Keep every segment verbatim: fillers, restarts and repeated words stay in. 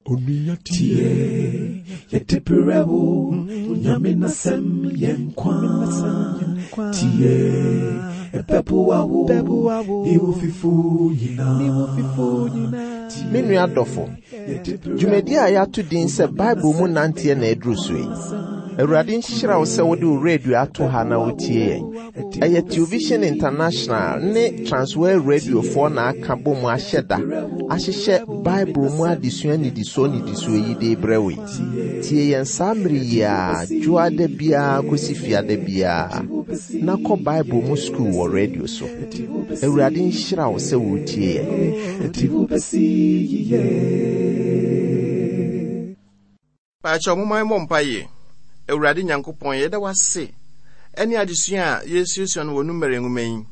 Onua tie, yɛde brɛ wo, Onyame n'asɛm yɛ nkwa. Tie, ɛbɛboa wo, ne wo fifo nyinaa. Me nua dɔfo, dwumadi a yɛato din sɛ Bible mu nanteɛ na aduru so yi. Awurade nhyira wo sɛ wode wo radio ato ha na wotie yɛn. Ɛyɛ Television International ne Transworld Radiofoɔ na aka bɔ mu ahyɛ da ahyehyɛ Bible mu adesua nnidisoɔ nnidisoɔ yi de brɛ wo yi. Tie yɛn saa mmere yi a dwoada biara kɔsi fiada biara na kɔ Bible mu sukuu wɔ radio so. Awurade nhyira wo sɛ woretie yɛn. Ɛde wo bɛsi yiye. Paakyɛw momma yɛmmɔ mpaeɛ. Awurade Nyankopɔn, yɛda wo ase ɛne adesua a yɛsuasua no wɔ Numeri nwoma yi.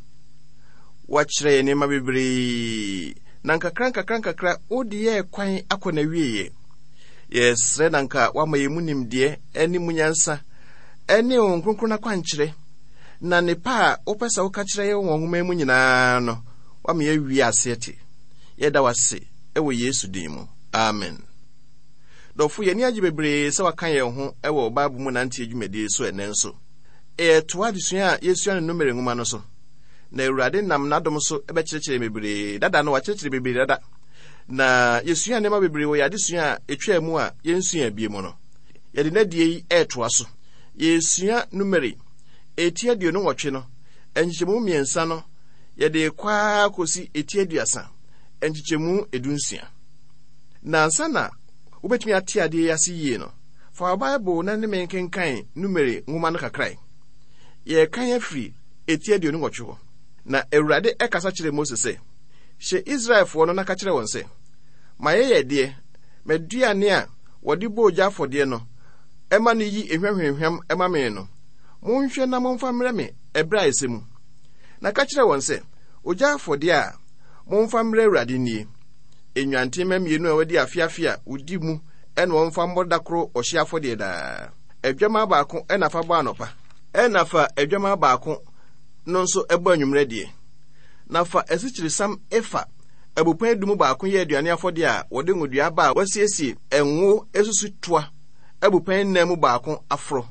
Woakyerɛ yɛn nneɛma bebree, na nkakra nkakra nkakra wode yɛɛ kwan akɔ n'awieeɛ. Yɛsrɛ na nka woama yɛn mu nimdeɛ ne mu nyansa ɛne Honhom Kronkron akwankyerɛ, na nnepa a wopɛ sɛ woka kyerɛ yɛn wɔ nwoma yi mu nyinaa no, woama yɛawie aseɛ te. Yɛda wo ase ɛwɔ Yesu din mu. Amen. Dɔfo, yɛn ani agye bebree sɛ waka yɛn ho wɔ Bible mu nanteɛ dwumadie so ɛnnɛ nso. Yɛtoa adesua a yɛsua no Numeri nwoma no so. Na Awurade nam n'adom so bɛkyerɛkyerɛ bebree. Dada no wakyerɛkyerɛ bebree dada. Na yɛsua nneɛma bebree wɔ yɛn adesua a ɛtwaa mu a yɛnsua bie mu no. Yɛde n'adie yi ɛretoa so. Yɛsua Numeri eti aduonu nwɔtwe no, nkyekyɛmu mmiɛnsa no, yɛde kɔ ara kɔsi eti aduasa, nkyekyɛmu edunsia. Na ansa na wobɛtumi ate adeɛ yi ase yie no, fa wo Bible na ne me nkenkan Numeri nwoma no kakrae. Yɛrekan afiri eti aduonu nwɔtwe hɔ. Na Awurade ɛkasa kyerɛɛ Mose sɛ, hyɛ Israelfoɔ no na ka kyerɛ wɔn sɛ, ma yɛyɛ deɛ m'aduane a wɔde bɔ ogya afɔdeɛ no ɛma no yi ehwa hwamhwam ɛma me no, monhwɛ na momfa mmrɛ me ɛberɛ a ɛsɛ mu. Na ka kyerɛ wɔn sɛ, ogya afɔdeɛ a momfa mmrɛ Awurade nie, nnwanten mmienu a wɔadi afe afe a wodi mu ɛna wɔmfa mmɔ da koro ɔhye afɔdeɛ daa. Adwammaa baako ɛna fa bɔ anɔpa, ɛna fa adwammaa baako no nso ɛbɔ anwummerɛ deɛ. Na fa asikyiresiam efa abupɛn du mu baako yɛ aduane afɔdeɛ a wɔde ngodua aba a wɔasiesie ngo esusu toa abupɛn nnan mu baako aforo.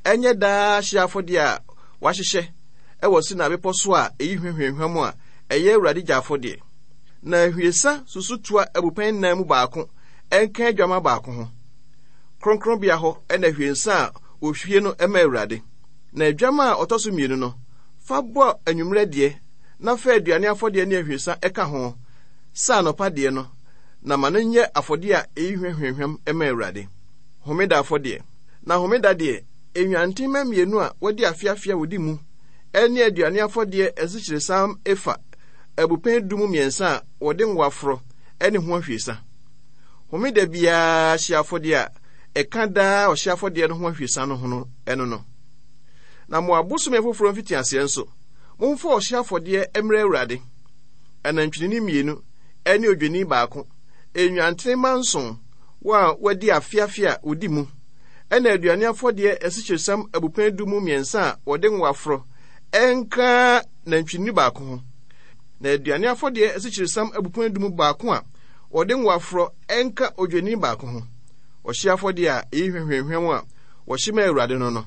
Ɛnyɛ daa hye afɔdeɛ a wɔahyehyɛ ɛwɔ Sinai bepɔ so a eyi hwehwɛhwɛm a ɛyɛ Awurade gya afɔdeɛ. Na ahwiesa susutoa abupɛn nnan mu baako ɛnka adwammaa baako ho. Kronkronbea hɔ ɛna ahwiesa a wɔhwie no ɛma Awurade. Na adwammaa a ɔtɔ so mmienu no, fa bɔ anwummerɛ deɛ, na fa aduane afɔdeɛ ne ahwiesa ɛka ho sɛ anɔpa deɛ no, na ma no nyɛ afɔdeɛ a ɛyi hwehwɛhwɛm ɛma Awurade. Homeda afɔdeɛ. Na homeda deɛ, nnwanten mma mmienu a wɔadi afe afe a wɔdi mu, ɛne aduane afɔdeɛ asikyiresiam efa abupɛn du mu mmiɛnsa a wɔde ngo aforo ɛne ho ahwiesa. Homeda biara hye afɔdeɛ a ɛka daa ɔhye afɔdeɛ no ho ahwiesa no ho no ɛno no. Na mo abosome foforɔ mfitiaseɛ nso, momfa ɔhye afɔdeɛ mmrɛ Awurade. Anantwinini mmienu ɛne odwennini baako, nnwanten mma nson, wɔn a wɔadi afe afe a wɔdi mu, ɛna aduane afɔdeɛ asikyiresiam abupɛn du mu mmiɛnsa a wɔde ngo aforo ɛnka nantwinini baako ho. Na aduane afɔdeɛ asikyiresiam abupɛn du mu baako a wɔde ngo aforo ɛnka odwennini baako ho. Ɔhye afɔdeɛ a ɛyi hwehwɛhwɛm a wɔhye ma Awurade no no.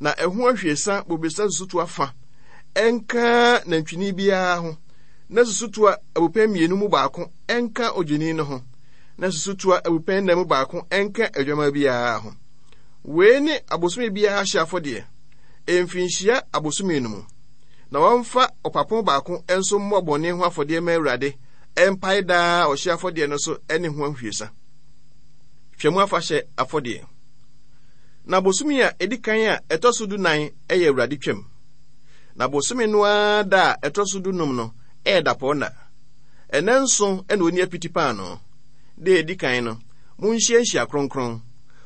Na ɛho ahwiesa bobesa susutoa fa ɛnka nantwinini biara ho, na susutoa abupɛn mmienu mu baako ɛnka odwennini no ho, na susutoa abupɛn nnan mu baako ɛnka adwammaa biara ho. Wei ne abosome biara hye afɔdeɛ, mfirinhyia abosome no mu. Na wɔmfa ɔpapo baako nso mmɔ bɔne ho afɔdeɛ ma Awurade, ɛmpae daa ɔhye afɔdeɛ no so ne ho ahwiesa. Twam afahyɛ afɔdeɛ. Na bosome a edi kan a ɛtɔ so dunan yɛ Awurade twam. Na bosome no ara da a ɛtɔ so dunum no ɛyɛ dapɔnna. Ɛnɛ nson na onni apiti paanoo. Da a edi kan no, monhyia nhyia kronkron.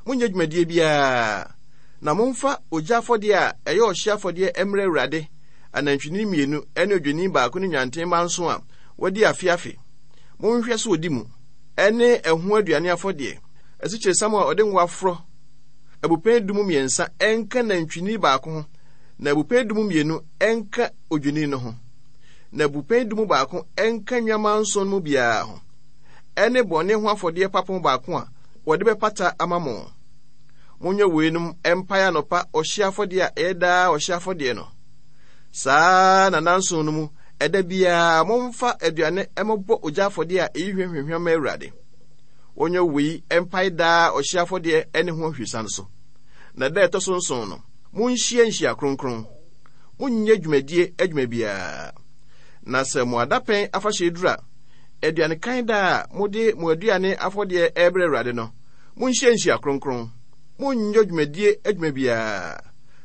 Monnyɛ dwumadie biara. Na momfa ogya afɔdeɛ a ɛyɛ ɔhye afɔdeɛ mmrɛ Awurade, anantwinini mmienu ne odwennini baako ne nnwanten mma nson a wɔadi afe afe. Monhwɛ so odi mu, ɛne ɛho aduane afɔdeɛ, asikyiresiam a ɔde ngo aforo abupɛn du mu mmiɛnsa ɛnka nantwinini baako ho, na abupɛn du mu mmienu ɛnka odwennini no ho, na abupɛn du mu baako ɛnka nnwammaa nson mu biara ho. ne bɔne ho afɔdeɛ papo baako a wɔde bɛpata ama mo. Monyɛ weinom mpae anɔpa ɔhye afɔdeɛ a ɛyɛ daa ɔhye afɔdeɛ no. Saa na nanson no mu, ɛda biara momfa aduane mmɛbɔ ogya afɔdeɛ a ɛyi hwamhwamhwam ma Awurade. Wɔnyɛ wei mpae daa ɔhye afɔdeɛ ne ho ahwiesa no so. Na da ɛtɔ so nson no, monhyia nhyia kronkron. Monnyɛ dwumadie adwuma biara. Na sɛ mo adapɛn afahyɛ duru a, aduanekan da a mode mo aduane afɔdeɛ ɛrebrɛ Awurade no, monhyia nhyia kronkron. Monnyɛ dwumadie adwuma biara.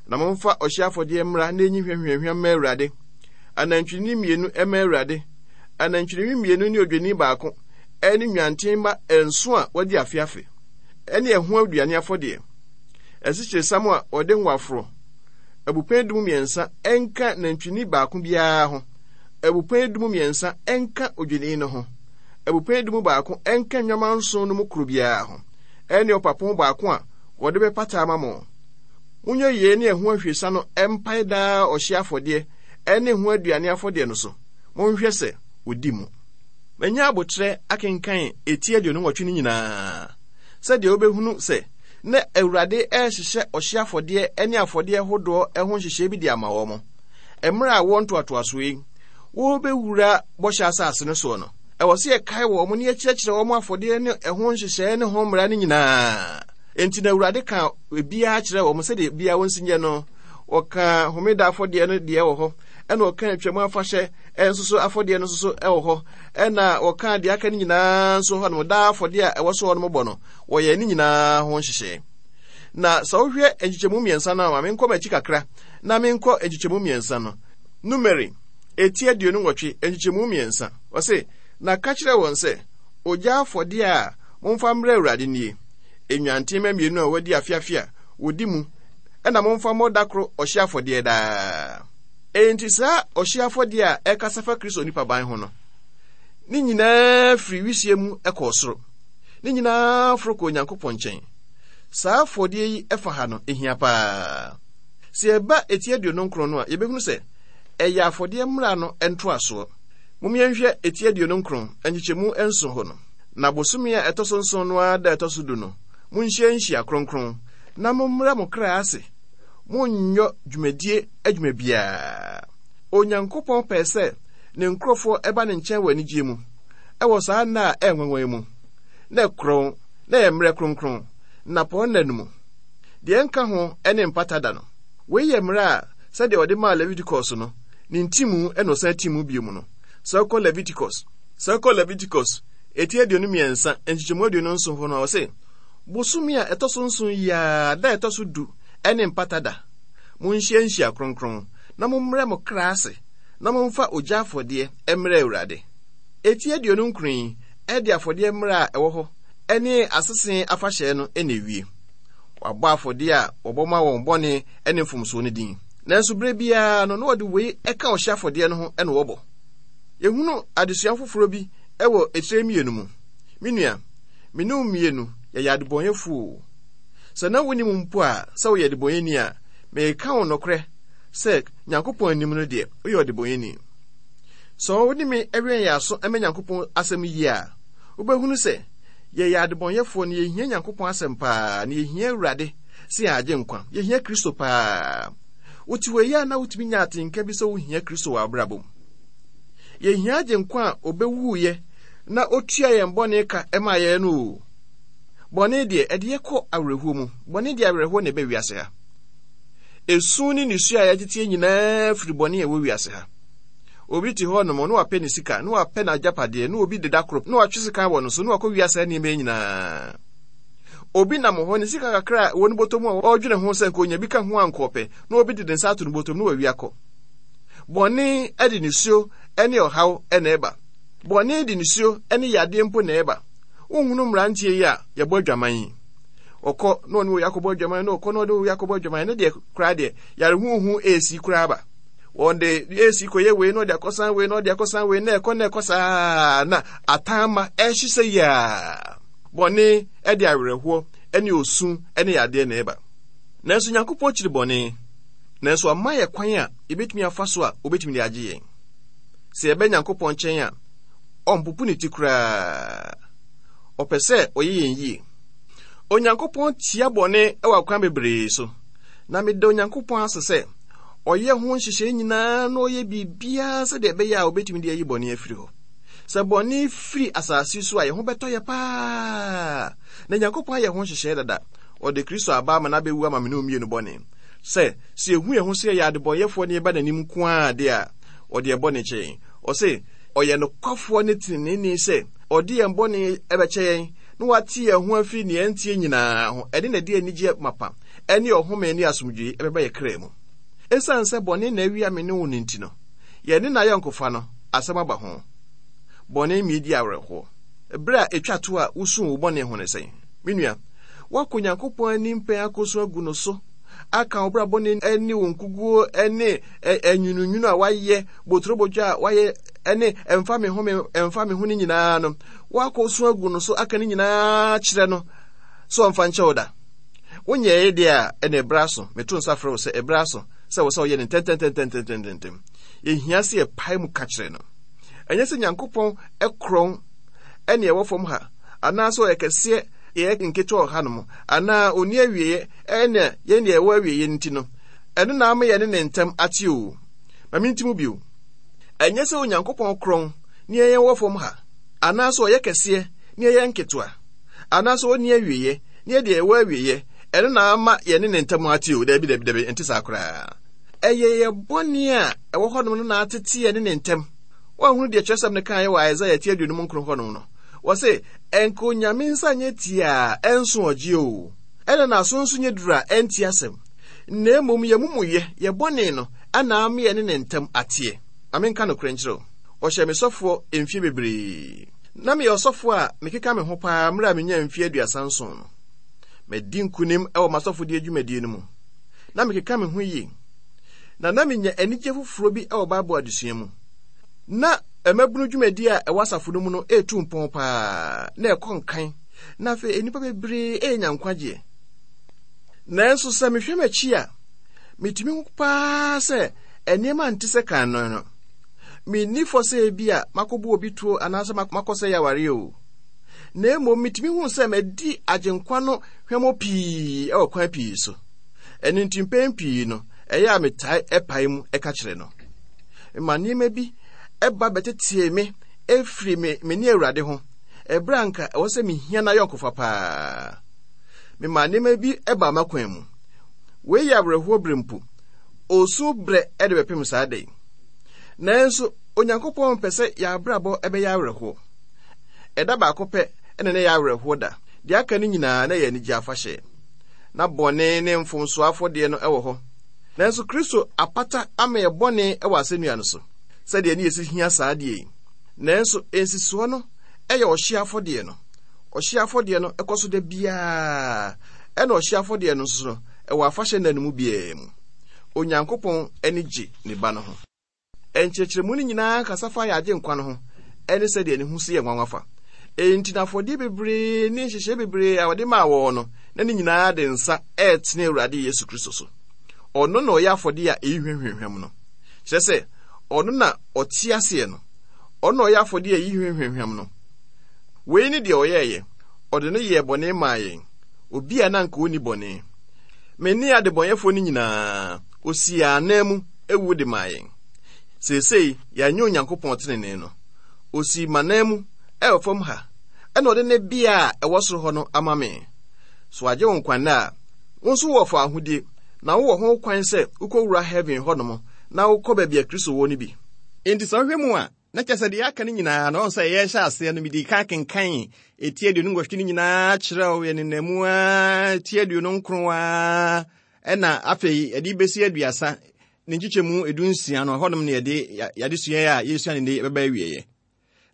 Na momfa ɔhye afɔdeɛ mmra na enyi hwamhwamhwam ma Awurade. Anantwinini mmienu mma Awurade, anantwinini mmienu ne odwennini baako, ɛne nnwanten mma nson a wɔadi afe afe, ɛne ɛho aduane afɔdeɛ. Asikyiresiam a wɔde ngo aforo, abupɛn du mu mmiɛnsa ɛnka nantwinini baako biara ho, abupɛn du mu mmiɛnsa ɛnka odwennini no ho, abupɛn du mu baako ɛnka nnwama nson no mu koro biara ho, ɛne ɔpapo baako a wɔde bɛpata ama mo. Monyɛ yei ne ɛho ahwiesa no ɛmpae daa ɔhye afɔdeɛ ɛne ho aduane afɔdeɛ no so. Monhwɛ sɛ odi mu. Manya abotrɛ akenkan eti aduonu nwɔtwe no nyinaa, sɛdeɛ wobɛhunu sɛ na Awurade ɛrehyehyɛ ɔhye afɔdeɛ ne afɔdeɛ hodoɔ ho nhyehyɛe bi de ama wɔn. Mmerɛ a wɔn ntoatoasoɔ yi, wɔrebɛwura bɔhyɛ asase no soɔ no, ɛwɔ sɛ yɛkae wɔn ne yɛkyerɛkyerɛ wɔn afɔdeɛ ne ɛho nhyehyɛe ne ho mmara no nyinaa. Enti na Awurade ka ebiara kyerɛ wɔn sɛdeɛ biara wɔn si nyɛ no. Wɔka homeda afɔdeɛ no deɛ wɔ hɔ, ɛna wɔka atwam afahyɛ nso so afɔdeɛ no nso so wɔ hɔ, ɛna wɔka deɛ aka no nyinaa nso hɔ nom, daa afɔdeɛ a ɛwɔ so hɔ nom bɔ no, wɔyɛ ne nyinaa ho nhyehyɛe. Na sɛ wohwɛ nkyekyɛmu mmiɛnsa no a, ma menkɔ m'akyi kakra na menkɔ nkyekyɛmu mmiɛnsa no. Numeri, eti aduonu nwɔtwe, nkyekyɛmu mmiɛnsa. Ɔse, na ka kyerɛ wɔn sɛ, ogya afɔdeɛ a momfa mmrɛ Awurade nie, nnwanten mma mmienu a wɔadi afe-afe a wɔdi mu, ɛna momfa mmɔ da koro ɔhye afɔdeɛ daa. Enti saa ɔhye afɔdeɛ a ɛkasa fa Kristo nipa ban ho no, ne nyinaa firi wisie mu kɔɔ soro. Ne nyinaa foro kɔɔ Onyankopɔn nkyɛn. Saa afɔdeɛ yi ɛfa ha no, ehia paa. Sɛ yɛba eti aduonu nkron no a, yɛbɛhunu sɛ ɛyɛ afɔdeɛ mmara no ntoasoɔ. Mom yɛnhwɛ eti aduonu nkron, nkyekyɛmu nson hɔ no. Na bosome a ɛtɔ so nson no ara da ɛtɔ so du no, monhyia nhyia kronkron, na mommrɛ mo kra ase. Monnyɔ dwumadie adwuma biara. Onyankopɔn pɛɛ sɛ ne nkurɔfoɔ ɛba ne nkyɛn wɔ anigyeɛ mu, ɛwɔ saa nna a ɛyɛ nwanwa yi mu, na ɛkorɔn, na ɛyɛ mmerɛ kronkron, nnapɔn nna no mu. Deɛ ɛnka ho ne mpata da no. Wei yɛ mmerɛ a sɛdeɛ ɔde maa Leviticus no, ne ntimu na ɔsan ti mu bio mu no. Sɛ wokɔ Leviticus, sɛ wokɔ Leviticus, eti aduonu mmiɛnsa, nkyekyɛmu aduonu nson hɔ no a, ɔse, bosome a ɛtɔ so nson yi ara, da a ɛtɔ so du ne mpata da. Monhyia nhyia kronkron, na mommrɛ mo kra ase, na momfa ogya afɔdeɛ mmrɛ Awurade. Eti aduonu nkron yi de afɔdeɛ mmara a ɛwɔ hɔ ne asese afahyɛ no na ewie. Wɔabɔ afɔdeɛ a wɔbɔ ma wɔn bɔne ne mfomsoɔ no din. Nanso berɛ biara no, na wɔde wei ka ɔhye afɔdeɛ no ho na wɔbɔ. Yɛhunu adesua foforɔ bi wɔ etire mmienu mu. Me nua, me ne wo mmienu yɛyɛ adebɔnyɛfoɔ o. Sɛ na wonim mpo a sɛ woyɛ adebɔnyɛni a, meka wo nokorɛ sɛ Nyankopɔn anim no deɛ, woyɛ ɔdebɔnyɛni. Sɛ wo ne me wɛn yɛn aso ma Nyankopɔn asɛm yie a, wobɛhunu sɛ yɛyɛ adebɔnyɛfoɔ na yɛhia Nyankopɔn asɛm paa, na yɛhia Awurade sɛ yɛn agye nkwa. Yɛhia Kristo paa. Wote hɔ yi a na wotumi nya atenka bi sɛ wohia Kristo wɔ abrabɔ mu. Yɛhia agye nkwa a ɔbɛwuiɛ na ɔtua yɛn bɔne ka ma yɛn no o. Bɔne deɛ, ɛde yɛ kɔ awerɛhoɔ mu. Bɔne deɛ awerɛhoɔ na ɛbɛ wiase ha. Esu ne nisuo a yɛteteɛ nyinaa firi bɔne a ɛwɔ wiase ha. Obi te hɔ nom, na wapɛ ne sika, na wapɛ n'agyapadeɛ, na obi deda koro, na watwe sika wɔ no so, na wakɔ wiase nneɛma yi nyinaa. Obi nam hɔ, ne sika kakra a ɛwɔ ne bɔtɔ mu a ɔredwene ho sɛ nka onya bi ka ho a nka ɔpɛ, na obi de ne nsa ato ne bɔtɔ mu na wawi akɔ. Bɔne de nisuo ne ɔhaw na ɛba. Bɔne de nisuo ne yadeɛ mpo na ɛba. Wonhunu mmeranteɛ yi a yɛbɔ adwaman yi. Ɔkɔ na ɔne wei akɔbɔ adwaman, na ɔkɔ na ɔne wei akɔbɔ adwaman, ne deɛ koraa deɛ yare huhu esi koraa ba. Wɔde esi kɔyɛ wei na ɔde akɔsan wei na ɔde akɔsan wei na ɛkɔ na ɛkɔ saa na atanma ɛhye sɛ yaa. Bɔne de awerɛhoɔ ne osu ne yadeɛ na ɛba. Nanso Nyankopɔn kyiri bɔne, nanso ama yɛ kwan a yɛbɛtumi afa so a obɛtumi de agye yɛn. Sɛ yɛbɛ Nyankopɔn nkyɛn a, ɔmpopo ne ti koraa. Ɔpɛ sɛ ɔyɛ yɛn yie. Onyankopɔn tia bɔne wɔ akwan bebree so. Na meda Onyankopɔn ase sɛ ɔyɛ ho nhyehyɛe nyinaa na ɔyɛ biribiara sɛdeɛ ɛbɛyɛ a obɛtumi de ayi bɔne afiri hɔ. Sɛ bɔne firi asase so a, yɛn ho bɛtɔ yɛ paa. Na Nyankopɔn ayɛ ho nhyehyɛe dada. Ɔde Kristo aba ama no abɛwu ama me ne wo mmienu bɔne. Sɛ, sɛ yɛhu yɛn ho sɛ yɛyɛ adebɔnyɛfoɔ ne yɛba n'anim nko ara de a, ɔde yɛn bɔne kyɛ yɛn. Ɔse, ɔyɛ nokwafoɔ ne teneneeni sɛ ɔde yɛn bɔne bɛkyɛ yɛn na wate yɛn ho afiri nea ɛnteɛ nyinaa ho. Ɛne na ɛde anigyeɛ mapa ne ɔhome ne asomdwoe bɛba yɛn kra mu. Esiane sɛ bɔne na awia me ne wo no nti no, yɛne n'ayɔnkofa no, asɛm aba ho. Bɔne ma yedi awerɛhoɔ. Bere a etwa to a wusuu wo bɔne ho ne sɛn? Me nua, woakɔ Onyankopɔn anim pɛn akosu agu no so, aka wo bra bɔne ne wo nkuguo ne nwununwunu a woayɛ, boturobodwo a woayɛ ne ɛmfa me ho me ɛmfa me ho no nyinaa no, woakɔsu agu no so aka ne nyinaa kyerɛ no sɛ ɔmfa nkyɛ wo da. Wonyɛe deɛ a, ɛna ɛberɛ aso. Meto nsa frɛ wo sɛ ɛberɛ aso sɛ wo sɛ woyɛ no ntɛntɛntɛntɛntɛntɛm. Yɛhia sɛ yɛpae mu ka kyerɛ no. Ɛnyɛ sɛ Nyankopɔn korɔn ɛne ɛwɔ fam ha, anaasɛ ɔyɛ kɛseɛ yɛyɛ nketewa wɔ hanom, anaa ɔnni awieeɛ ɛne yɛn deɛ ɛwɔ awieeɛ nti no, ɛno na ama yɛne ne ntam ate o. Ma menti mu bio. Ɛnyɛ sɛ Onyankopɔn korɔn ne yɛn wɔ fam ha, anaasɛ ɔyɛ kɛseɛ ne yɛyɛ nketewa, anaasɛ ɔnni awieeɛ ne yɛ deɛ ɛwɔ awieeɛ, ɛno na ama yɛne ne ntam ate o. Dabi, dabi, dabi, ɛnte saa koraa. Ɛyɛ yɛ bɔne a ɛwɔ hɔnom no na atete yɛne ne ntam. Woahunu deɛ kyerɛsɛm no kaeɛ wɔ Isaiah ti aduonum nkron hɔnom no? Wɔse, ɛnka Onyame nsa nyɛ tiaa a ɛnso ɔgye o, ɛna n'aso nso nyɛ duru a ɛnte asɛm. Na mmom yɛn amumuyɛ, yɛ bɔne no, ana ama yɛne ne ntam ateɛ. Ma menka nokorɛ nkyerɛ wo, wɔhyɛɛ me sɔfoɔ mfeɛ bebree. Na meyɛ ɔsɔfoɔ a mekeka me ho paa mmerɛ a menyaa mfeɛ aduasa nson no. Madi nkonim wɔ m'asɔfodie dwumadie no mu. Na mekeka me ho yie. Na na menya anigye foforɔ bi wɔ Bible adesua mu. Na mmabunu dwumadie a ɛwɔ asafo no mu no retu mpɔn paa, na ɛkɔ nkan, na afei nnipa bebree renya nkwagyeɛ. Nanso sɛ mehwɛ m'akyi a, metumi hu paa sɛ nneɛma nte sɛ kan no no. Menni fɔ sɛ ebi a makɔbɔ obi tuo anaasɛ makɔsɛe awareɛ o. Na mmom metumi hu sɛ madi Agyenkwa no hwammɔ pii wɔ kwan pii so. Ɛno nti mpɛn pii no, ɛyɛ a metae pae mu ka kyerɛ no. Ma nneɛma bi ba bɛtetee me firi me me ne Awurade ho, ɛberɛ a anka ɛwɔ sɛ mehia n'ayɔnkofa paa. Mema nneɛma bi baa m'akwan mu. Wei yɛ awerɛhoɔ berɛ mpo. Osu berɛ de bɛpem saa da yi. Nanso Onyankopɔn mpɛ sɛ yɛn abrabɔ bɛyɛ awerɛhoɔ. Ɛda baako pɛ na na ɛyɛ awerɛhoɔ da. Deɛ aka no nyinaa na ɛyɛ anigye afahyɛ. Na bɔne ne mfomsoɔ afɔdeɛ no wɔ hɔ. Nanso Kristo apata ama yɛ bɔne wɔ asɛnnua no so, sɛdeɛ ne yɛsi hia saa adeɛ yi. Nanso nsisoɔ no yɛ ɔhyeɛ afɔdeɛ no. Ɔhyeɛ afɔdeɛ no kɔ so da biara, ɛna ɔhyeɛ afɔdeɛ no nso no, ɛwɔ afahyɛ nna no mu biara mu. Onyankopɔn ani gye ne ba no ho. Nkyerɛkyerɛmu no nyinaa kasa fa yɛn Agyenkwa no ho ne sɛdeɛ ne ho si yɛ nwanwa fa. Enti na afɔdeɛ bebree ne nhyehyɛe bebree a wɔde maa wɔn no, na ne nyinaa de nsa ɛretene Awurade Yesu Kristo so. Ɔno na ɔyɛ afɔdeɛ a ɛyi hwamhwamhwam no. Kyerɛ sɛ, ɔno na ɔte aseɛ no. Ɔno na ɔyɛ afɔdeɛ a ɛyi hwamhwamhwam no. Wei ne deɛ ɔyɛeɛ. Ɔde no yɛɛ bɔne maa yɛn, obi a na anka ɔnni bɔne. Me ne adebɔnyɛfoɔ no nyinaa, ɔsii yɛn ananmu wu de maa yɛn. Seesei yɛanyɛ Onyankopɔn tenenee no. Ɔsii m'ananmu wɔ fam ha, ɛna ɔde ne bea a ɛwɔ soro hɔ no ama me. So wagye wo nkwa nnɛ a, wo nso wowɔ fawohodie, na wowɔ ho kwan sɛ wokɔwura heaven hɔnom na wokɔ baabi a Kristo wɔ no bi. Enti sɛ wohwɛ mu a, na kyerɛ sɛ deɛ aka no nyinaa no, ɔhu sɛ yɛrehyɛ aseɛ no, medii kan kenkan eti aduonu nwɔtwe no nyinaa kyerɛw yɛ nenamu ara eti aduonu nkron ara, ɛna afei yɛde bɛsi aduasa ne nkyekyɛmu edu nsia no, ɛhɔnom na yɛde yɛadesua a yɛresua no nnɛ bɛba awieɛ.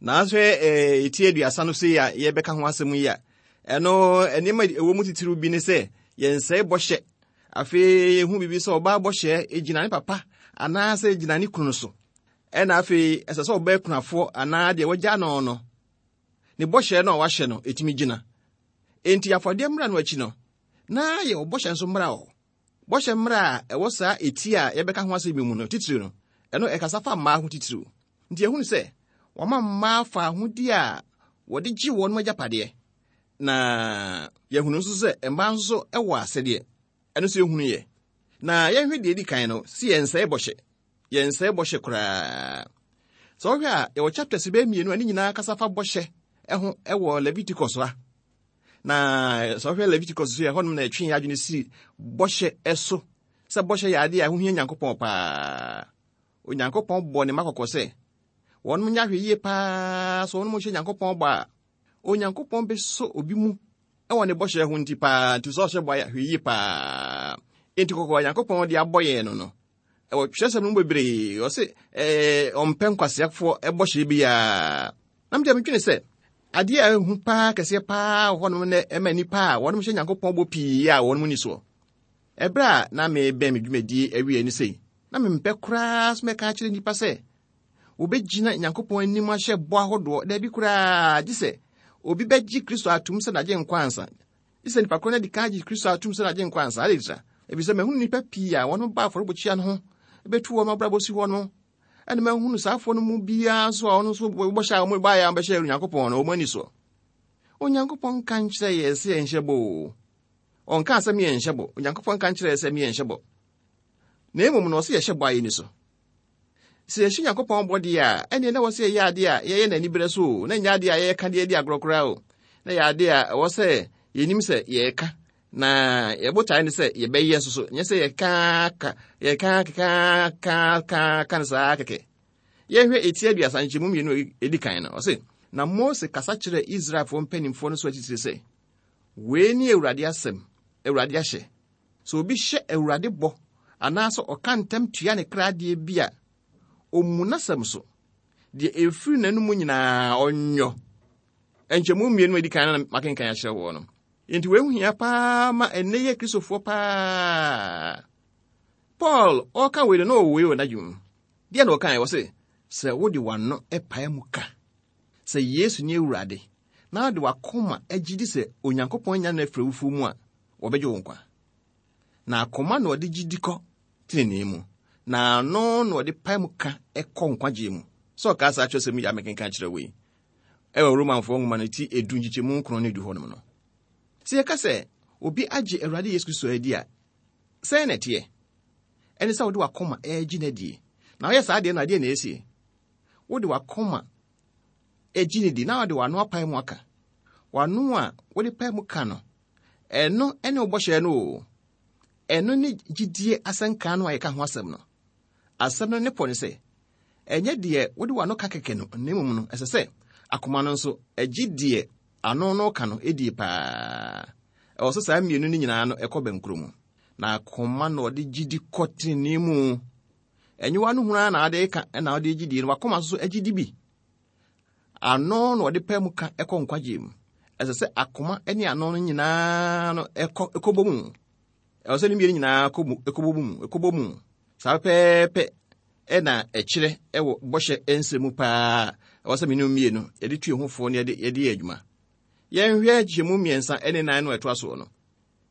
Nanso eti aduasa no sei a yɛbɛka ho asɛm yi a, ɛno nneɛma ɛwɔ mu titiriw bi ne sɛ yɛnsɛe bɔhyɛ. Afei yɛhu biribi sɛ ɔbaa bɔhyɛ gyina ne papa anaasɛ gyina ne kunu so. Ɛna afei ɛsɛ sɛ ɔbaa kunafoɔ anaa deɛ wagya no no, ne bɔhyɛ no a wahyɛ no ɛtumi gyina. Enti afɔdeɛ mmara no akyi no, na yɛwɔ bɔhyɛ nso mmara wɔ hɔ. Bɔhyɛ mmara a ɛwɔ saa eti a yɛbɛka ho asɛm mu no titiriw no, ɛno ɛkasa fa mmaa ho titiriw. Nti yɛhunu sɛ wɔma mmaa fa ahodie a wɔde gye wɔn agyapadeɛ. Na yɛhunu nso sɛ mmaa nso wɔ asɛdeɛ. Ɛno nso yɛhunu yɛ. Na yɛnhwɛ deɛ ɛdi kan no, si yɛnsɛe bɔhyɛ. Yɛnsɛe bɔhyɛ koraa. Sɛ wohwɛ a, yɛwɔ chapters bɛyɛ mmienu a ne nyinaa kasa fa bɔhyɛ ho wɔ Leviticus ha. Na sɛ wohwɛ Leviticus so yɛ hɔnom na ɛtwe yɛn adwene si bɔhyɛ so, sɛ bɔhyɛ yɛ adeɛ a ɛho hia Nyankopɔn paa. Onyankopɔn bɔ ne mma kɔkɔ sɛ wɔnom nyɛ ahwɛ yie paa, sɛ wɔnom hyɛ Nyankopɔn bɔ a, Onyankopɔn bɛsɔ obi mu ɛwɔ ne bɔhyɛ ho nti paa, nti sɛ ɔhyɛ bɔ a, hwɛ yie paa. Enti kɔkɔ a Nyankopɔn de abɔ yɛn no no, ɛwɔ twerɛsɛm no mu bebree, ɔse, ɛɛ, ɔmpɛ nkwaseafoɔ bɔhyɛ biara. Na mede medwene sɛ, adeɛ a ɛhu paa kɛseɛ paa wɔ hɔnom na ɛma nnipa a wɔnom hyɛ Nyankopɔn bɔ pii a wɔnom ni soɔ. Ɛberɛ a na mebɛn me dwumadie awie ne sei, na mempɛ koraa so mɛka akyerɛ nnipa sɛ, wobɛgyina Nyankopɔn anim ahyɛ bɔ ahodoɔ, daabi koraa, gye sɛ obi bɛgye Kristo atom sɛ n'agye nkwa ansa. Gye sɛ nnipa korɔ no adi kan agye Kristo atom sɛ n'agye nkwa ansa. Ade tira, ɛfiri sɛ mahunu nnipa pii a wɔnom ba afɔrebukyia no ho, bɛtu wɔn abrabɔ si hɔ no, ɛna mahunu saafoɔ no mu biara nso a ɔno nso bɔhyɛ a wɔn baeɛ a wɔbɛhyɛ Onyankopɔn no, wɔn ani soɔ. Onyankopɔn nka nkyerɛ yɛn sɛ yɛnhyɛ bɔ o. Ɔnka sɛ yɛnhyɛ bɔ. Onyankopɔn nka nkyerɛ yɛn sɛ yɛnhyɛ bɔ. Na mmom no, ɔsɛ yɛhyɛ bɔ a yɛni so. Sɛ yɛhyɛ Nyankopɔn bɔ deɛ a, ɛneɛ na wɔ sɛ yɛyɛ adeɛ a yɛyɛ n'ani berɛ so o, na nyɛ adeɛ a yɛyɛka deɛ di agorɔ koraa o. Na yɛ adeɛ a ɛwɔ sɛ yɛnim sɛ yɛreka, na yɛbotae ne sɛ yɛbɛyɛ nso so, nyɛ sɛ yɛka ka, yɛka keka ka ka ka no saa kɛkɛ. Yɛhwɛ eti aduasa nkyɛmu mmienu a edi kan no, ɔse, na Mose kasa kyerɛɛ Israelfoɔ mpanimfoɔ no so atitire sɛ, wei ne Awurade asɛm, Awurade ahyɛ. Sɛ obi hyɛ Awurade bɔ, anaasɛ ɔka ntam tua ne kra adeɛ bi a, ɔmmu n'asɛm so. Deɛ ɛfiri n'anom nyinaa ɔnyɔ. Nkyɛmu mmienu a edi kan no na makenkan akyerɛ wɔn no. Enti wei ho hia paa ma ɛnnɛ yɛ Kristofoɔ paa. Paul ɔka wei no na ɔwɔ wei wɔ n'adwene mu. Deɛ na ɔkae, ɔse, sɛ wode w'ano pae mu ka sɛ Yesu ne Awurade, na wode w'akoma agye di sɛ Onyankopɔn anya no afiri awufoɔ mu a, wɔbɛgye wo nkwa. Na akoma na ɔde gye di kɔ tenenee mu, na ano na ɔde pae mu ka ɛkɔ nkwagyeɛ mu. Sɛ ɔka saa kyerɛ sɛ yi a mekenka kyerɛ wo yi, ɛwɔ Romanfoɔ nwoma no ti edu nkyekyɛmu nkron ne du hɔnom no. Sɛ yɛka sɛ obi agye Awurade Yesu Kristo adi a, sɛn na ɛteɛ? Ɛne sɛ wode w'akoma ɛregye no adie. Na woyɛ saa adeɛ no, adeɛ na ɛsie. Wode w'akoma agye no di, na wode w'ano apae mu aka. W'ano a wode pae mu ka no, ɛno ɛne wo bɔhyɛ no o. Ɛno ne gyidie asɛnka no a yɛka ho asɛm no. Asɛm no ne pɔ ne sɛ, ɛnyɛ deɛ wode w'ano ka kɛkɛ no, na mmom no, ɛsɛ sɛ akoma no nso agye deɛ ano no ka no ɛdie paa. Ɛwɔ sɛ saa mmienu no nyinaa no ɛkɔ bɛnkoro mu. Na akoma na ɔde gyidi kɔ tenenee mu. Ɛnyɛ w'ano hunu ara na ɔde ka ɛna ɔde gyidie no, w'akoma nso agye di bi. Ano na ɔde pɛ mu ka ɛkɔ nkwagyeɛ mu. Ɛsɛ sɛ akoma ne ano no nyinaa no ɛkɔ, ɛkɔbɔ mu. Ɛwɔ sɛ ne mmienu nyinaa kɔ mu, ɛkɔbɔ mu, ɛkɔbɔ mu. Saa pɛpɛɛpɛ ɛna ɛkyerɛ ɛwɔ bɔhyɛ nsɛm mu paa. Ɛwɔ sɛ mmienu mmienu yɛde tu yɛn ho foɔ na yɛde, yɛde yɛ adwuma. Yɛnhwɛ nkyɛmu mmiɛnsa ne nan no a ɛtoa soɔ no.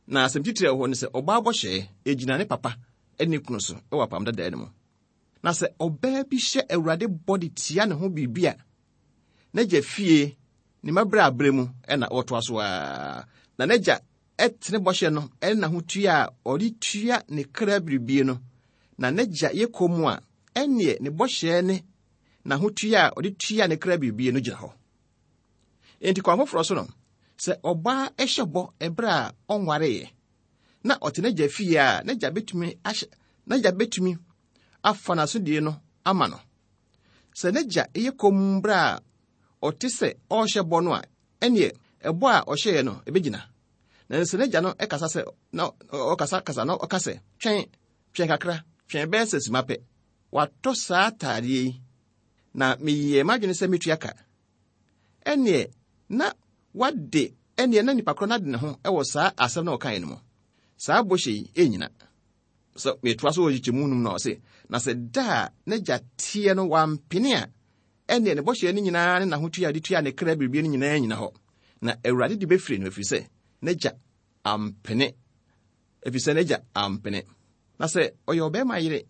Na asɛm titire a ɛwɔ hɔ ne sɛ, ɔbaa bɔhyɛ egyina ne papa ne ne kunu so ɛwɔ apam dadaa no mu. Na sɛ ɔbaa bi hyɛ Awurade bɔ de tia ne ho biribi a, n'agya fie ne mmabrɛ abrɛ mu ɛna ɔtoa so ara. Na n'agya ɛtene bɔhyɛ no ɛne n'ahotua a ɔde tua ne kra biribie no. Na n'agya yɛ kɔn mu a, ɛneɛ ne bɔhyɛ ne n'ahotua a ɔde tua ne kra biribie no gyina hɔ. Enti kwan foforɔ so no, sɛ ɔbaa ɛhyɛ bɔ ɛberɛ a ɔnwareeɛ, na ɔte n'agya fie a, n'agya bɛtumi ahyɛ, n'agya bɛtumi afa n'asodie no ama no. Sɛ n'agya yɛ komm berɛ a ɔte sɛ ɔrehyɛ bɔ no a, ɛneɛ ɛbɔ a ɔhyɛeɛ no ɛbɛgyina. Na sɛ n'agya no ɛkasa sɛ, na ɔkasa kasa na ɔka sɛ, twɛn, twɛn kakra, twɛn bɛyɛ sɛ sima pɛ. Watɔ saa ataadeɛ yi, na meyɛɛ m'adwene sɛ metua ka. Ɛneɛ na wade, ɛneɛ na nipa korɔ no ade ne ho ɛwɔ saa asɛm na ɔkaeɛ no mu. Saa bɔhyɛ yi ɛnnyina. Sɛ metoa so wɔ nkyekyɛmu num na ɔse, na sɛ da a n'agya teɛ no wampene a, ɛneɛ ne bɔhyɛ no nyinaa ne n'ahotua a ɔde tua ne kra biribi no nyinaa nyina hɔ. Na Awurade de bɛfiri no ɛfiri sɛ n'agya ampene. Ɛfiri sɛ n'agya ampene. Na sɛ ɔyɛ ɔbarima yere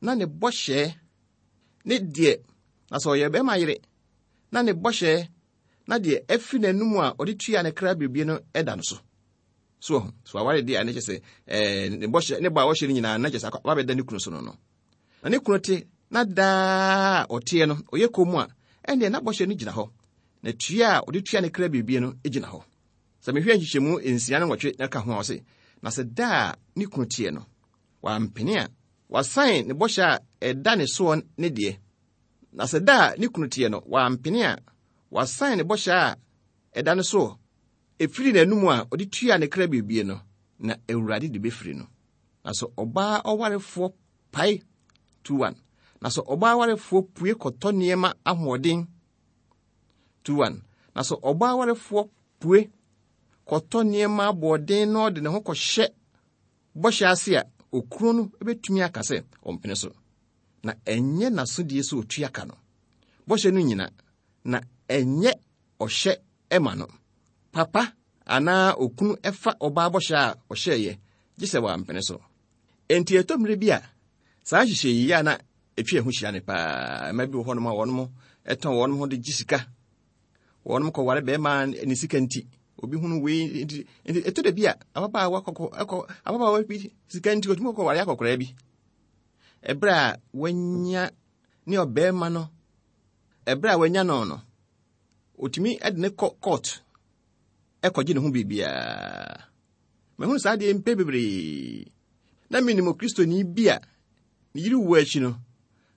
na ne bɔhyɛ ne deɛ, na sɛ ɔyɛ ɔbarima yere na ne bɔhyɛ na deɛ ɛfiri n'anum a ɔde tua ne kra biribie no ɛda no so. So so aware deɛ a ne kyɛ sɛ ɛɛ ne bɔhyɛ ne bɔ a ɔhyɛ no nyinaa na kyɛ sɛ wabɛda ne kunu so no no. Na ne kunu te na daa ɔteɛ no ɔyɛ kɔn mu a ɛnneɛ na bɔhyɛ no gyina hɔ. Na tua a ɔde tua ne kra biribie no gyina hɔ. Sɛ mehwɛ nkyekyɛmu nsia ne nwɔtwe na ka ho a ɔse, na sɛ da a ne kunu teɛ no, wampene a, wasan ne bɔhyɛ a ɛda ne soɔ ne deɛ. Na sɛ da a ne kunu teɛ no, wampene a, wasan ne bɔhyɛ a ɛda ne soɔ, ɛfiri n'anum a ɔde tua ne kra biribie no, na Awurade de bɛfiri no. Na sɛ ɔbaa ɔwarefoɔ pae two one. Na sɛ ɔbaa warefoɔ pue kɔtɔ nneɛma ahoɔden two one. Na sɛ ɔbaa warefoɔ pue kɔtɔ nneɛma aboɔden na ɔde ne ho kɔhyɛ bɔhyɛ ase a, okunu no bɛtumi aka sɛ ɔmpene so. Na ɛnyɛ n'asodie sɛ otua ka no. Bɔhyɛ no nyina, na ɛnyɛ ɔhyɛ ɛma no. Papa anaa okunu ɛfa ɔbaa bɔhyɛ a ɔhyɛeɛ, gye sɛ wampene so. Enti ɛtɔ mmerɛ bi a, saa nhyehyɛ yi a na ɛtwa ɛho hyia ne paa. Mma bi wɔ hɔnom a wɔnom ɛtɔn wɔnom ho de gye sika. Wɔnom kɔware bɛrima ne sika nti. Obi hunu wei nti, nti ɛtɔ da bi a ababaawa kɔkɔ ɛkɔ ababaawa bi sika nti otumi kɔware akɔkoraa bi. Ɛberɛ a wanya ne ɔbɛrima no, ɛberɛ a wanya no no, otumi ɛde ne kɔ court ɛkɔgye ne ho biribiara. Mahunu saa adeɛ mpɛ bebree. Na menim Okristoni bi a ne yere wu akyi no,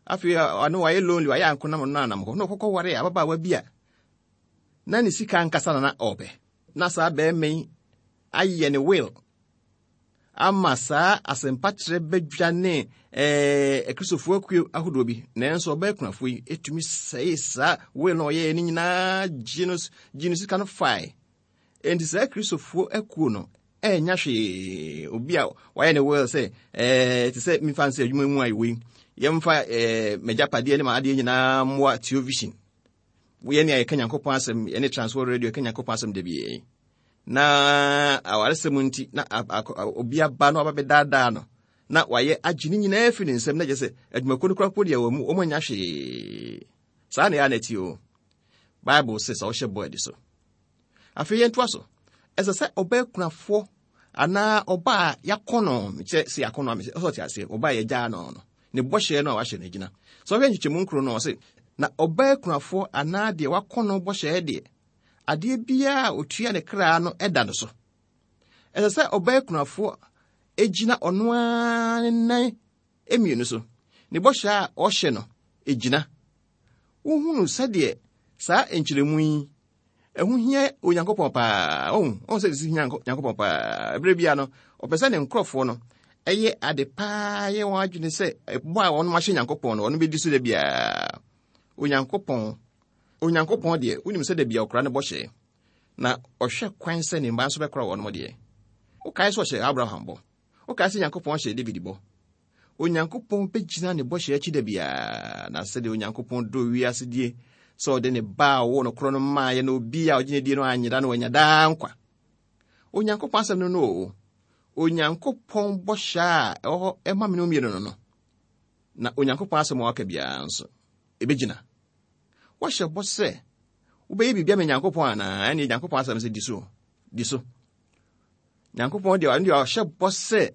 afei ɔno wayɛ lonely, wayɛ ankonam no anam hɔ. Na ɔkɔkɔ ware ababaawa bi a na ne sika ankasa na na ɔpɛ. Na saa bɛrima yi ayɛ ne will ama saa asɛmpakyerɛ badwa ne ɛɛ akristofoɔ akuo ahodoɔ bi. Nanso ɔbaa kunafoɔ yi etumi sɛe saa will na ɔyɛɛ ne nyinaa gye no gye no sika no fae. Enti saa akristofoɔ akuo no ɛnya hwee. Obi a wayɛ ne will sɛ ɛɛ te sɛ memfa nsɛ adwuma mu a ɛwɔ yi, yɛmfa ɛɛ m'agyapadeɛ ne m'adeɛ nyinaa mmoa Television. Yɛne a yɛka Nyankopɔn asɛm, yɛne Transworld Radio yɛka Nyankopɔn asɛm da biara. Na awaresɛm nti na obi aba na waba bɛdaadaa no na wayɛ agye ne nyinaa afiri ne nsam na gye sɛ adwumakuo no koraa po deɛ wɔ mu wɔn anya hwee. Saa na ɛyɛ na ɛte o. Bible sɛ sɛ ɔhyɛ bɔ adi so. Afei yɛntoa so. Ɛsɛ sɛ ɔbaa kunafoɔ anaa ɔbaa a yɛakɔ no, kyerɛ sɛ yɛakɔ no a, ɔsɛ ɔte aseɛ, ɔbaa a yɛgyaa no no, ne bɔhyɛ no a wahyɛ no gyina. Sɛ ɔhwɛ nkyekyɛmu nkron no, ɔse, na ɔbaa kunafoɔ anaa deɛ wakɔ no bɔhyɛ deɛ, adeɛ biara a otua ne kra no ɛda no so. Ɛsɛ sɛ ɔbaa kunafoɔ egyina ɔno ara ne nan mmienu so. Ne bɔhyɛ a ɔhyɛ no egyina. Wohunu sɛdeɛ saa nkyerɛmu yi ɛho hia Onyankopɔn paa. Ɔhu, ɔhu sɛ ɛsi hia Nyankopɔn paa. Ɛberɛ biara no, ɔpɛ sɛ ne nkurɔfoɔ no ɛyɛ ade paa yɛ wɔn adwene sɛ ɛbɔ a wɔn ahyɛ Nyankopɔn no, ɔno bɛdi so da biara. Onyankopɔn, Onyankopɔn deɛ, wonim sɛ da biara ɔkora ne bɔhyɛ. Na ɔhwɛ kwan sɛ ne mma nso bɛkora wɔn deɛ. Wokae sɛ ɔhyɛ Abraham bɔ. Wokae sɛ Nyankopɔn hyɛ David bɔ. Onyankopɔn bɛgyina ne bɔhyɛ akyi da biara. Na sɛdeɛ Onyankopɔn dɔ wiase die, sɛ ɔde ne ba a ɔwɔ no korɔ no maaeɛ na obi a ɔgye ne die no anyera no wanya daa nkwa. Onyankopɔn asɛm no no o. Onyankopɔn bɔhyɛ a ɛwɔ hɔ ɛma me ne wo mmienu no no. Na Onyankopɔn asɛm a waka biara nso, ɛbɛgyina. Wɔhyɛ bɔ sɛ wobɛyɛ biribi ama Nyankopɔn anaa? Ɛne Nyankopɔn asɛm sɛ di so. Di so. Nyankopɔn deɛ, ɔno deɛ ɔhyɛ bɔ sɛ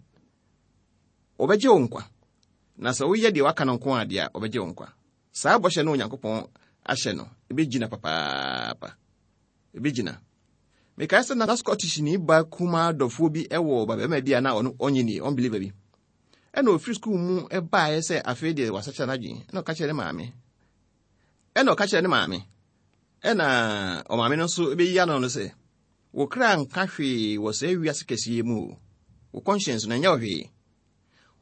ɔbɛgye wo nkwa. Na sɛ woyɛ deɛ waka no nko a deɛ a, ɔbɛgye wo nkwa. Saa bɔhyɛ no Onyankopɔn ahyɛ no, ɛbɛgyina papaapa. Ɛbɛgyina. Mekae sɛ na Scottish ni ba kumaa dɔfoɔ bi ɛwɔ babarima bi a na ɔno ɔnye ni, unbeliever bi. Ɛna ofiri sukuu mu ɛbaeɛ sɛ afei deɛ wasakyera n'adwene. Ɛna ɔka kyerɛ ne maame. Ɛna ɔka kyerɛ ne maame. Ɛna ɔmaame no nso bɛyi ano no sɛ, wo kra nka hwee wɔ saa wiase kɛseɛ mu o. Wo conscience no ɛnyɛ wo hwee.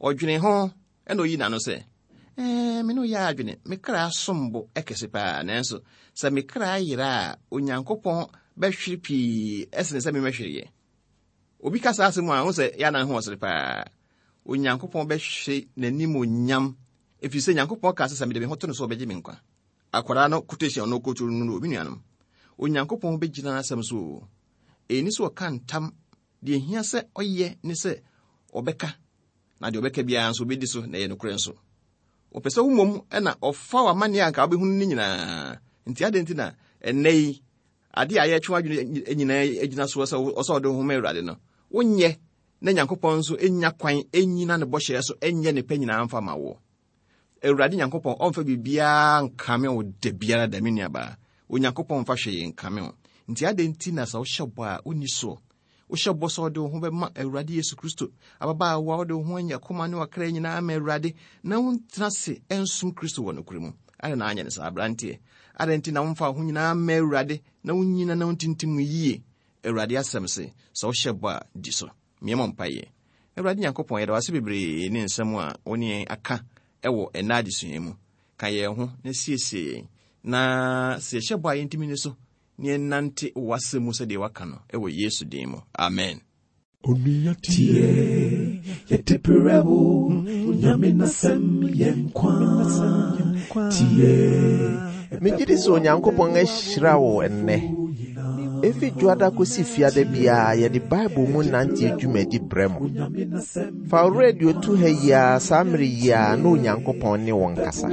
Ɔdwene ho ɛna oyi n'ano sɛ, ɛɛ, me ne wo yɛ adwene, me kra som bo ɛkɛse paa, nanso sɛ me kra yera a, Onyankopɔn bɛhwere pii ɛsene sɛ memɛhwereɛ. Obi ka saa asɛm a, wo sɛ yɛ anan ho ɔsere paa. Onyankopɔn bɛhwere n'anim onyam, ɛfiri sɛ Nyankopɔn ka sɛ sɛ mede me ho to no so ɔbɛgye me nkwa. Akwadaa no quotation ɔno kɔturu no no, obi nuanom. Onyankopɔn bɛgyina n'asɛm so o. Ɛni sɛ ɔka ntam, deɛ ehia sɛ ɔyɛ ne sɛ ɔbɛka, na deɛ ɔbɛka biara nso ɔbɛdi so na ɛyɛ nokorɛ nso. Ɔpɛ sɛ wo mmom ɛna ɔfa w'amanneɛ a anka wobɛhunu no nyinaa. Nti adɛn nti na ɛnnɛ yi, Ade a yɛtwe w'adwene nyinaa agyina soɔ sɛ ɔsɛ ɔde wo ho ma Awurade no, wonyɛ na Nyankopɔn nso nya kwan ɛnyina ne bɔhyɛ so ɛnyɛ ne pɛ nyinaa mfa ma wo. Awurade Nyankopɔn ɔmfa biribiara nkame wo da biara da, me nuabaa. Onyankopɔn mfa hwee nkame wo. Nti adɛn nti na sɛ wohyɛ bɔ a wonni soɔ? Wohyɛ bɔ sɛ wode wo ho bɛma Awurade Yesu Kristo, ababaawa wode wo ho anya koma ne wakra nyinaa ma Awurade, na wontena ase ɛnsom Kristo wɔ nokorɛ mu. Adɛn na anyɛ no saa, aberanteɛ? Adɛn nti na womfa wo ho nyinaa ma Awurade na wonyina na wontintim yie? Awurade asɛm se, sɛ wohyɛ bɔ a, di so. Mmiɛmmɔ mpayɛ. Awurade Nyankopɔn, yɛda wo ase bebree ne nsɛm a wo ne yɛn aka ɛwɔ ɛnna adesua mu. Ka yɛn ho na siesie yɛn, na sɛ yɛhyɛ bɔ a yɛntumi ni so, na yɛnante w'asɛm mu sɛdeɛ waka no ɛwɔ Yesu din mu. Amen. Onua tie, yɛde brɛ wo, Onyame n'asɛm yɛ nkwa. Tie, Megye di sɛ Onyankopɔn ahyira wo ɛnnɛ. Efi dwoada kosi fiada biara yɛde Bible mu nante dwumadi brɛ mo. Fa wo radio to ha yi ara saa mmere yi ara na Onyankopɔn ne wo nkasa.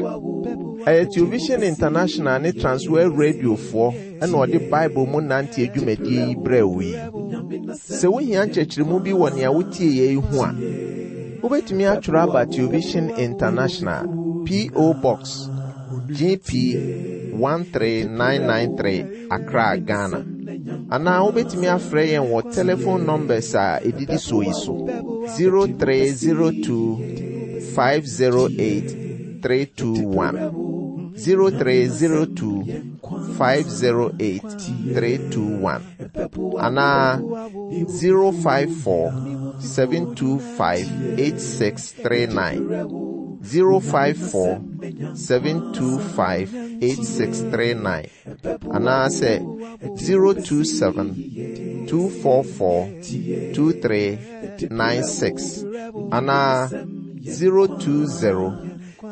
Ɛyɛ Television International ne Transworld Radiofoɔ ɛna ɔde Bible mu nante dwumadie yi brɛ wo yi. Sɛ wohia nkyerɛkyerɛmu bi wɔ nea wotie yɛ yi ho a, wobɛtumi atwerɛ aba Television International, P O. Box G P one three nine nine three, Accra, Ghana. Anaa wobɛtumi afrɛ yɛn wɔ telephone numbers a ɛdidi soɔ yi so: zero three zero two five zero eight three two one, zero three zero two five zero eight three two one, anaa zero five four seven two five eight six three nine, zero five four seven two five eight six three nine, anaasɛ zero two seven two four four two three nine six, anaa zero two zero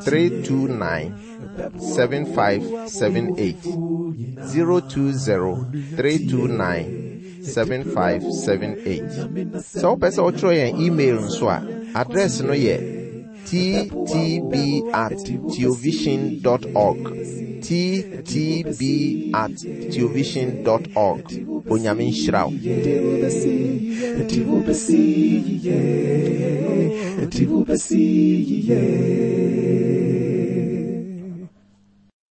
three two nine seven five seven eight, zero two zero three two nine seven five seven eight. Sɛ wopɛ sɛ wotwerɛ yɛn email nso a, address no yɛ T T B at theovision dot org, T T B at theovision dot org. Onyame nhyira wo. Yɛde wo bɛsi, yɛde wo bɛsi yie, yɛde wo bɛsi yie.